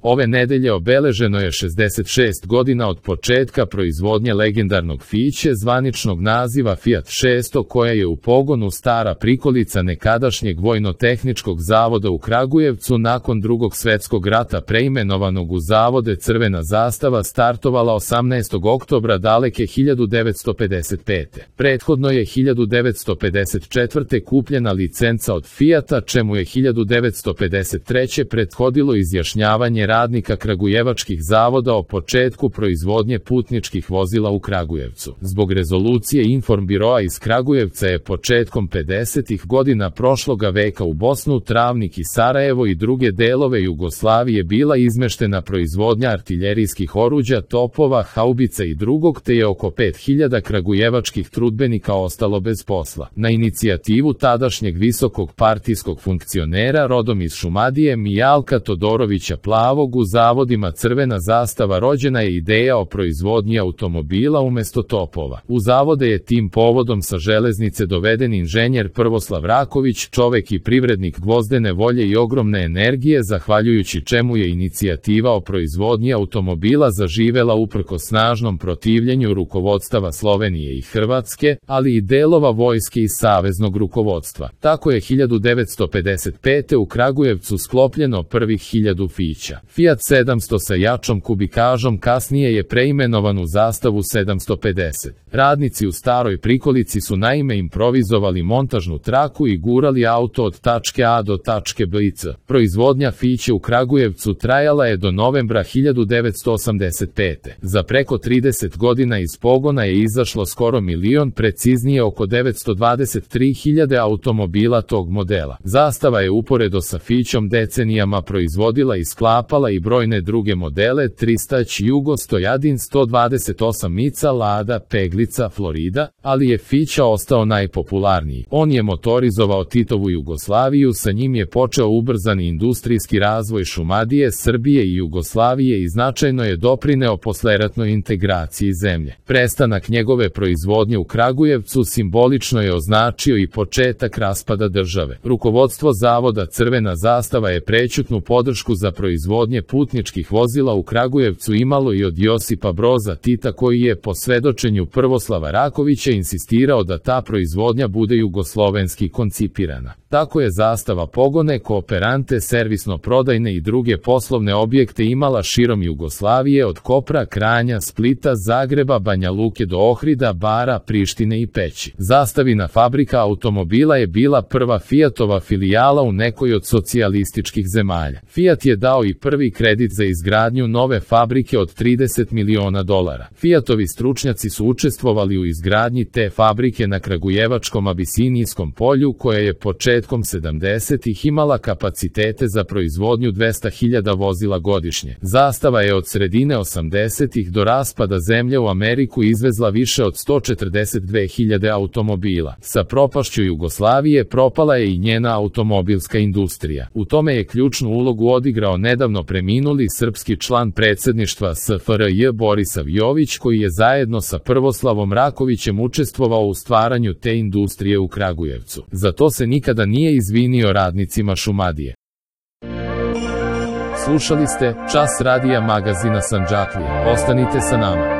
Ove nedelje obeleženo je 66 godina od početka proizvodnje legendarnog Fiće zvaničnog naziva Fiat 600 koja je u pogonu stara prikolica nekadašnjeg Vojno-tehničkog zavoda u Kragujevcu nakon Drugog svjetskog rata preimenovanog u Zavode Crvena zastava startovala 18. oktobra daleke 1955. Prethodno je 1954. kupljena licenca od Fijata, čemu je 1953. prethodilo izjašnjavanje radnika kragujevačkih zavoda o početku proizvodnje putničkih vozila u Kragujevcu. Zbog rezolucije Informbiroa iz Kragujevca je početkom 50. godina prošloga veka u Bosnu, Travnik i Sarajevo i druge delove Jugoslavije bila izmeštena proizvodnja artiljerijskih oruđa, topova, haubica i drugog, te je oko 5000 kragujevačkih trudbenika ostalo bez posla. Na inicijativu tadašnjeg visokog partijskog funkcionera rodom iz Šumadije Mijalka Todorovića Plavog u zavodima Crvena zastava rođena je ideja o proizvodnji automobila umesto topova. U zavode je tim povodom sa železnice doveden inženjer Prvoslav Raković, čovek i privrednik gvozdene volje i ogromne energije, zahvaljujući čemu je inicijativa o proizvodnji automobila zaživela uprko snažnom protivljenju rukovodstava Slovenije i Hrvatske, ali i delova vojske i saveznog rukovodstva. Tako je 1955. u Kragujevcu sklopljeno prvih 1000 Fića. Fiat 700 sa jačom kubikažom kasnije je preimenovan u zastavu 750. Radnici u staroj prikolici su naime improvizovali montažnu traku i gurali auto od tačke A do tačke B i C. Proizvodnja Fiće u Kragujevcu trajala je do novembra 1985. Za preko 30 godina iz pogona je izašlo skoro milion, preciznije oko 923.000 automobila tog modela. Zastava je uporedo sa Fićom decenijama proizvodila i sklapala i brojne druge modele: Tristać, Jugo, Stojadin, 128 Mica, Lada, Peglica, Florida, ali je Fića ostao najpopularniji. On je motorizovao Titovu Jugoslaviju, sa njim je počeo ubrzani industrijski razvoj Šumadije, Srbije i Jugoslavije i značajno je doprineo posleratnoj integraciji zemlje. Prestanak njegove proizvodnje u Kragujevcu simbolično je označio i početak raspada države. Rukovodstvo zavoda Crvena zastava je prećutnu podršku za proizvodnje putničkih vozila u Kragujevcu imalo i od Josipa Broza Tita, koji je po svedočenju Prvoslava Rakovića insistirao da ta proizvodnja bude jugoslovenski koncipirana. Tako je zastava pogone, kooperante, servisno-prodajne i druge poslovne objekte imala širom Jugoslavije od Kopra, Kranja, Splita, Zagreba, Banja Luke do Ohrida, Bara, Prištine i Peći. Zastavina fabrika automobila je bila prva Fijatova filijala u nekoj od socijalističkih zemalja. Fijat je dao i prvi kredit za izgradnju nove fabrike od $30 miliona. Fijatovi stručnjaci su učestvovali u izgradnji te fabrike na kragujevačkom Abisinijskom polju, koja je početkom 70-ih imala kapacitete za proizvodnju 200.000 vozila godišnje. Zastava je od sredine 80-ih do raspada zemlje u Ameriku izvezla više od 142.000 automobila. Sa propašću Jugoslavije propala je i njena automobilska industrija. U tome je ključnu ulogu odigrao nedavno preminuli srpski član predsjedništva SFRJ Borisav Jović, koji je zajedno sa Prvoslavom Rakovićem učestvovao u stvaranju te industrije u Kragujevcu. Za to se nikada nije izvinio radnicima Šumadije. Slušali ste Čas radija magazina Sandžaklija. Ostanite sa nama.